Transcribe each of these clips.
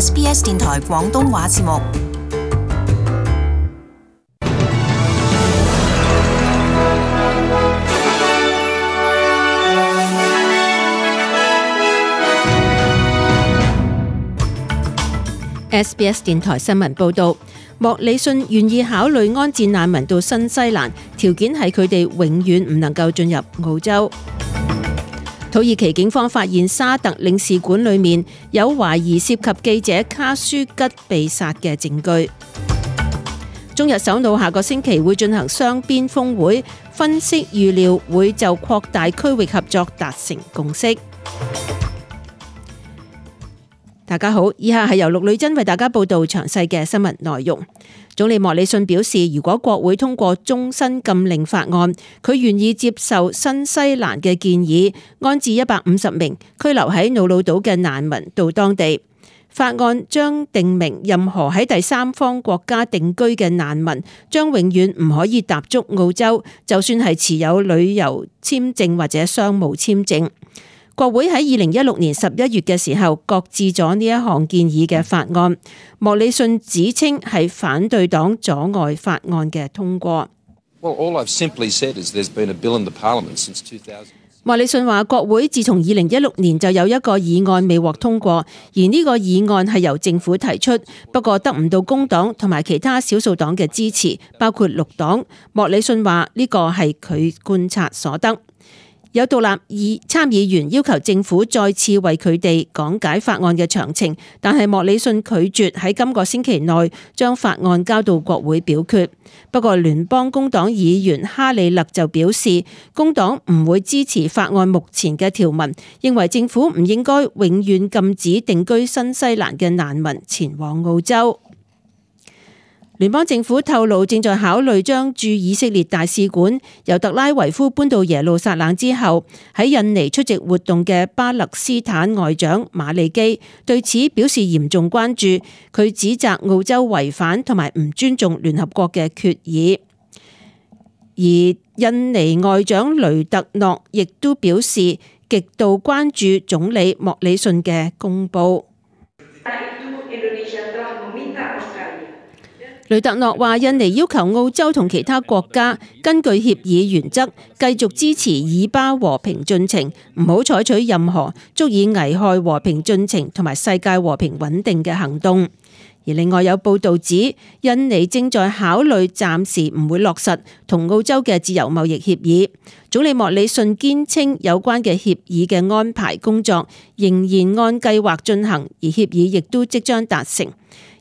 SBS 電台廣東話節目。SBS 電台新聞報導，莫里遜願意考慮安置難民到新西蘭，條件係佢哋永遠唔能夠進入澳洲。土耳其警方發現沙特領事館裏面有懷疑涉及記者卡舒吉被殺嘅證據。中日首腦下個星期會進行雙邊峰會，分析預料會就擴大區域合作達成共識。大家好，以下係由陸女真為大家報道詳細嘅新聞內容。總理莫里遜表示，如果國會通過終身禁令法案，佢願意接受新西蘭嘅建議，安置150名拘留喺瑙魯島嘅難民到當地。法案將定明任何喺第三方國家定居嘅難民將永遠唔可以踏足澳洲，就算係持有旅遊簽證或者商務簽證。國會喺2016年11月嘅時候擱置咗呢一項建議嘅法案，莫里遜指稱係反對黨阻礙法案嘅通過。莫里遜話，國會自從2016年就有一個議案未獲通過，而呢個議案係由政府提出，不過得唔到工黨同埋其他少數黨嘅支持，包括綠黨。莫里遜話呢個係佢觀察所得。有獨立參議員要求政府再次為佢哋講解法案嘅詳情，但係莫里遜拒絕喺今個星期內將法案交到國會表決。不過聯邦工黨議員哈里勒就表示，工黨唔會支持法案目前嘅條文，認為政府唔應該永遠禁止定居新西蘭嘅難民前往澳洲。聯邦政府透露正在考慮將駐以色列大使館由特拉維夫搬到耶路撒冷之後，喺印尼出席活動嘅巴勒斯坦外長馬利基對此表示嚴重關注，佢指責澳洲違反同埋唔尊重聯合國嘅決議。而印尼外長雷特諾亦都表示極度關注總理莫里遜嘅公佈。雷特諾話，印尼要求澳洲同其他國家根據協議原則繼續支持以巴和平進程，唔好採取任何足以危害和平進程同埋世界和平穩定嘅行動。而另外有報導指，印尼正在考慮暫時唔會落實同澳洲嘅自由貿易協議。總理莫里遜堅稱有關嘅協議嘅安排工作仍然按計劃進行，而協議亦都即將達成。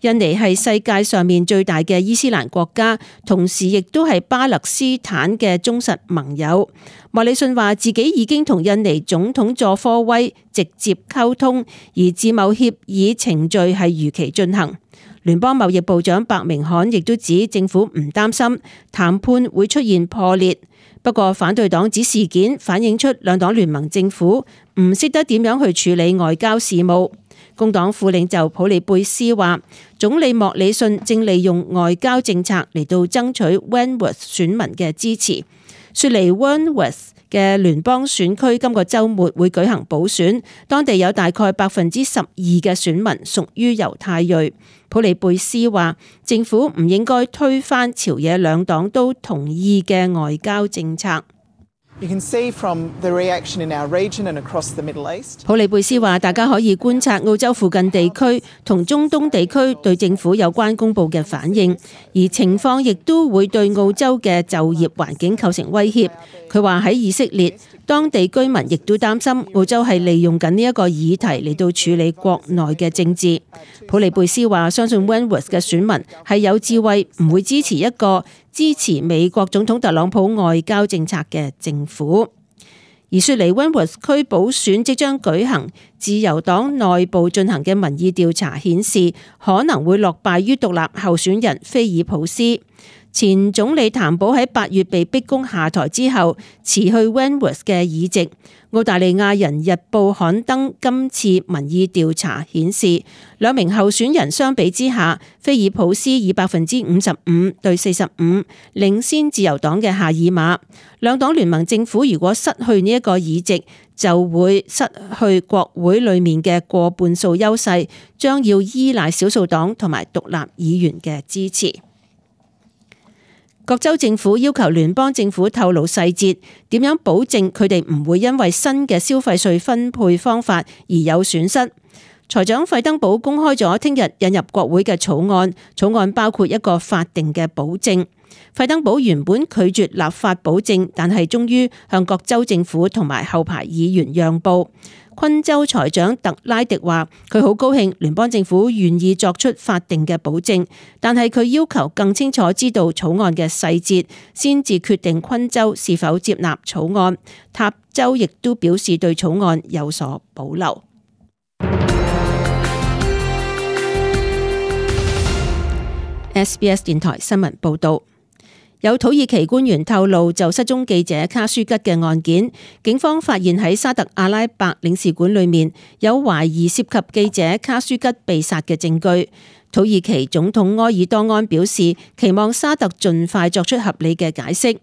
印尼係世界上面最大嘅伊斯蘭國家，同時亦都係巴勒斯坦嘅忠實盟友。莫里遜話自己已經同印尼總統佐科威直接溝通，而自貿協議程序係如期進行。聯邦貿易部長白明罕亦都指政府唔擔心談判會出現破裂，不過反對黨指事件反映出兩黨聯盟政府唔識得點樣去處理外交事務。工黨副領袖普利貝斯話，總理莫里遜正利用外交政策嚟到爭取 Wentworth 選民嘅支持。雪梨 Wentworth 嘅聯邦選區今個週末會舉行補選，當地有大概12%嘅選民屬於猶太裔。普利貝斯話，政府唔應該推翻朝野兩黨都同意嘅外交政策。普利貝斯話，大家可以觀察澳洲附近地區同中東地區對政府有關公佈嘅反應，而情況亦都會對澳洲嘅就業環境構成威脅。佢話喺以色列，當地居民亦都擔心澳洲係利用緊呢一個議題嚟到處理國內嘅政治。普利貝斯話，相信 Wentworth 嘅選民係有智慧，唔會支持一個支持美國總統特朗普外交政策嘅政府。而雪梨 Wentworth 區補選即將舉行，自由黨內部進行嘅民意調查顯示可能會落敗於獨立候選人菲爾普斯。前總理譚寶喺8月被逼宮下台之後，辭去 Wentworth 嘅議席。澳大利亞人日報刊登今次民意調查顯示，兩名候選人相比之下，菲爾普斯以55%對45%領先自由黨嘅夏爾馬。兩黨聯盟政府如果失去呢一個議席，就會失去國會裏面嘅過半數優勢，將要依賴少數黨同埋獨立議員嘅支持。各州政府要求聯邦政府透露細節，點樣保證佢哋唔會因為新嘅消費稅分配方法而有損失。財長費登堡公開咗聽日引入國會嘅草案，草案包括一個法定嘅保證。費登堡原本拒絕立法保證，但係終於向各州政府同埋後排議員讓步。昆州財長特拉迪話：佢好高興聯邦政府願意作出法定嘅保證，但係佢要求更清楚知道草案嘅細節，先至決定昆州是否接納草案。塔州亦都表示對草案有所保留。SBS 電台新聞報道。有土耳其官員透露，就失蹤記者卡舒吉嘅案件，警方發現喺沙特阿拉伯領事館裏面有懷疑涉及記者卡舒吉被殺嘅證據。土耳其總統埃爾多安表示，期望沙特盡快作出合理嘅解釋。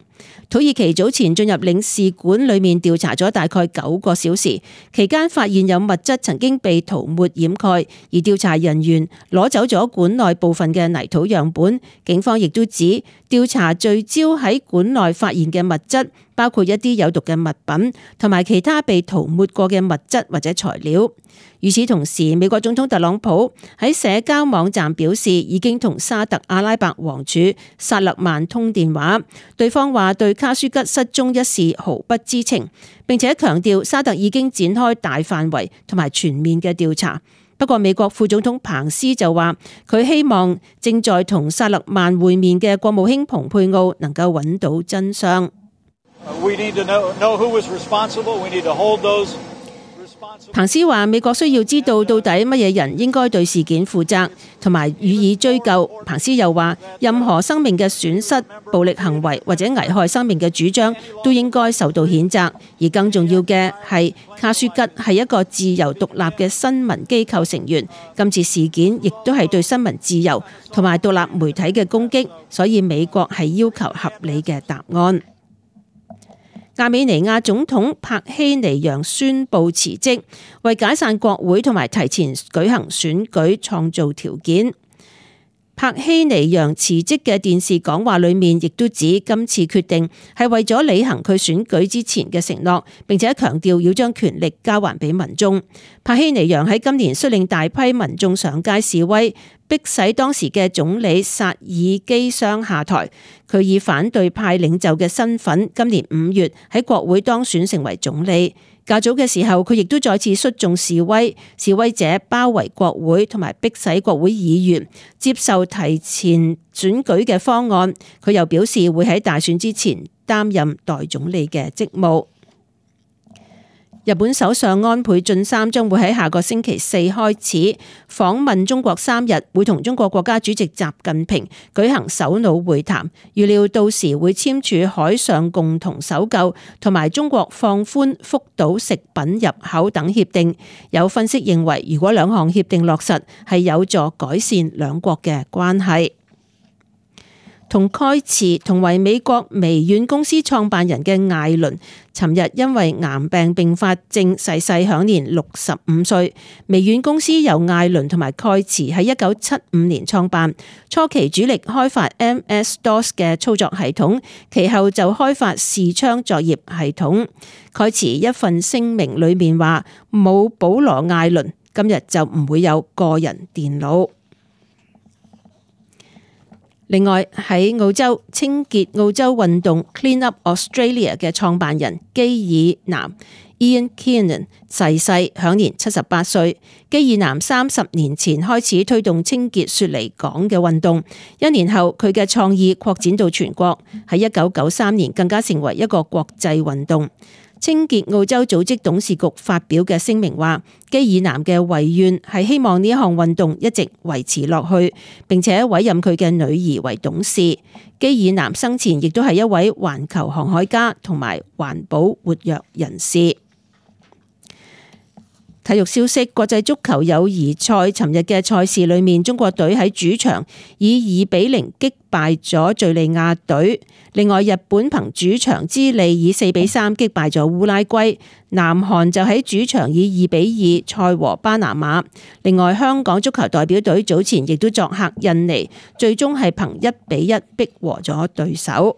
土耳其早前進入領事館裏面調查咗大概9個小時，期間發現有物質曾經被塗抹掩蓋，而調查人員攞走咗館內部分嘅泥土樣本。警方亦都指調查聚焦喺館內發現嘅物質，包括一啲有毒嘅物品同埋其他被塗抹過嘅物質或者材料。與此同時，美國總統特朗普喺社交網站表示，已經同沙特阿拉伯王儲薩勒曼通電話，對方話對卡舒吉失蹤一事毫不知情，並且強調沙特已經展開大範圍同埋全面嘅調查。不過美國副總統彭斯就話，佢希望正在同薩勒曼會面嘅國務卿蓬佩奧能夠揾到真相。彭斯話：美國需要知道到底乜嘢人應該對事件負責，同埋予以追究。彭斯又話：任何生命嘅損失、暴力行為或者危害生命嘅主張都應該受到譴責。而更重要嘅係，卡舒吉係一個自由獨立嘅新聞機構成員。今次事件亦都係對新聞自由同埋獨立媒體嘅攻擊，所以美國係要求合理嘅答案。亞美尼亞總統帕希尼揚宣布辭職，為解散國會同埋提前舉行選舉創造條件。帕希尼揚辭職嘅電視講話裏面亦都指，今次決定係為咗履行佢選舉之前嘅承諾，並且強調要將權力交還俾民眾。帕希尼揚喺今年率領大批民眾上街示威，迫使當時嘅總理薩爾基桑下台。佢以反對派領袖嘅身份，今年5月喺國會當選成為總理。較早嘅時候，佢亦都再次率眾示威，示威者包圍國會同埋迫使國會議員接受提前選舉嘅方案。佢又表示會喺大選之前擔任代總理嘅職務。日本首相安倍晉三將會喺下個星期4開始訪問中國3日，會同中國國家主席習近平舉行首腦會談，預料到時會簽署海上共同搜救同埋中國放寬福島食品入口等協定。有分析認為，如果兩項協定落實，係有助改善兩國嘅關係。同蓋茨同為美國微軟公司創辦人嘅艾倫，尋日因為癌病併發症逝世，享年65歲。微軟公司由艾倫同埋蓋茨喺1975年創辦，初期主力開發 MS-DOS 嘅操作系統，其後就開發視窗作業系統。蓋茨一份聲明裏面話：冇保羅艾倫，今日就唔會有個人電腦。另外喺澳洲，清潔澳洲運動 Clean Up Australia 嘅創辦人基爾南 Ian Kiernan 逝世，享年78歲。基爾南30年前開始推動清潔雪梨港嘅運動，1年後佢嘅創意擴展到全國，喺1993年更加成為一個國際運動。清潔澳洲組織董事局發表嘅聲明話，基爾南嘅遺願係希望呢項運動一直維持落去，並且委任佢嘅女兒為董事。基爾南生前亦都係一位環球航海家同埋環保活躍人士。體育消息：國際足球友誼賽尋日嘅賽事裏面，中國隊喺主場以2-0擊敗咗敘利亞隊。另外，日本憑主場之利以4-3擊敗咗烏拉圭。南韓就喺主場以2-2賽和巴拿馬。另外，香港足球代表隊早前亦都作客印尼，最終係憑1-1逼和咗對手。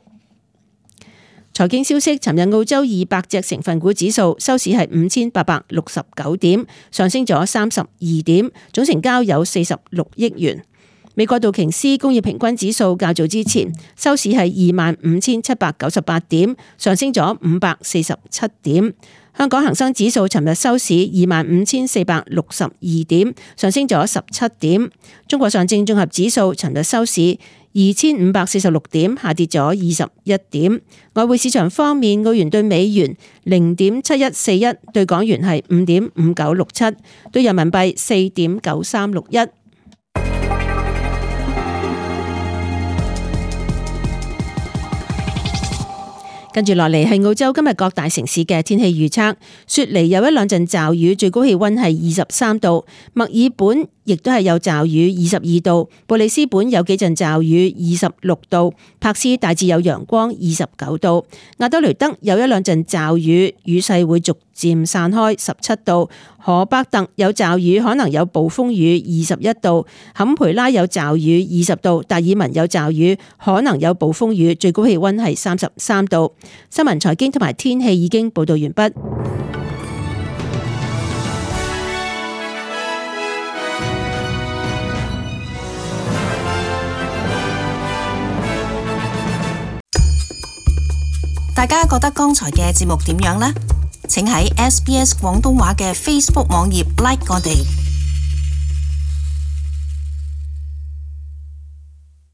財經消息：尋日澳洲200隻成分股指數收市係5869點，上升咗32點，總成交有46億元。美國道瓊斯工業平均指數較早之前收市係25,798點，上升咗547點。香港恒生指數尋日收市25,462點，上升咗17點。中國上證綜合指數尋日收市2,546點，下跌咗21點。外匯市場方面，澳元對美元0.7141，對港元係5.5967，對人民幣4.9361。跟住落嚟係澳洲今日各大城市嘅天氣預測。雪梨有一兩陣驟雨，最高氣溫係23度。墨爾本亦都係有驟雨，22度。布里斯本有幾陣驟雨，26度。柏斯大致有陽光，29度。亞德雷德有一兩陣驟雨，雨勢會逐漸散開，17度。荷伯特有驟雨，可能有暴風雨，21度。坎培拉有驟雨，20度。達爾文有驟雨，可能有暴風雨，最高氣溫係33度。新聞、財經同埋天氣已經報道完畢。大家覺得剛才嘅節目點樣呢？請喺SBS 廣東話嘅 Facebook 網頁 like 我哋。